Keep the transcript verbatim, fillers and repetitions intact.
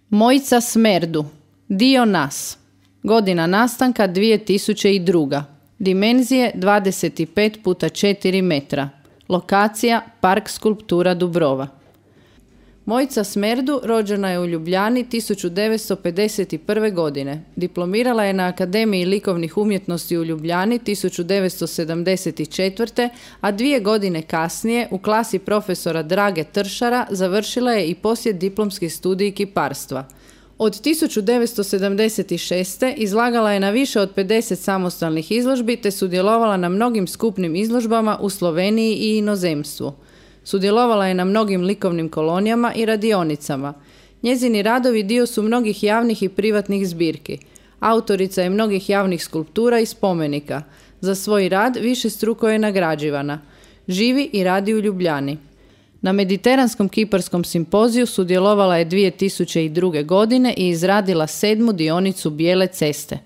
Mojica Smerdu, dio nas. Godina nastanka dvije tisuće druga. Dimenzije dvadeset pet puta četiri metra. Lokacija Park skulptura Dubrova. Mojica Smerdu rođena je u Ljubljani tisuću devetsto pedeset prve. godine. Diplomirala je na Akademiji likovnih umjetnosti u Ljubljani tisuću devetsto sedamdeset četvrte. a dvije godine kasnije u klasi profesora Drage Tršara završila je i poslijediplomski studij kiparstva. Od tisuću devetsto sedamdeset šeste. izlagala je na više od pedeset samostalnih izložbi te sudjelovala na mnogim skupnim izložbama u Sloveniji i inozemstvu. Sudjelovala je na mnogim likovnim kolonijama i radionicama. Njezini radovi dio su mnogih javnih i privatnih zbirki. Autorica je mnogih javnih skulptura i spomenika. Za svoj rad višestruko je nagrađivana. Živi i radi u Ljubljani. Na Mediteranskom kiparskom simpoziju sudjelovala je dvije tisuće druge. godine i izradila sedmu dionicu Bijele ceste.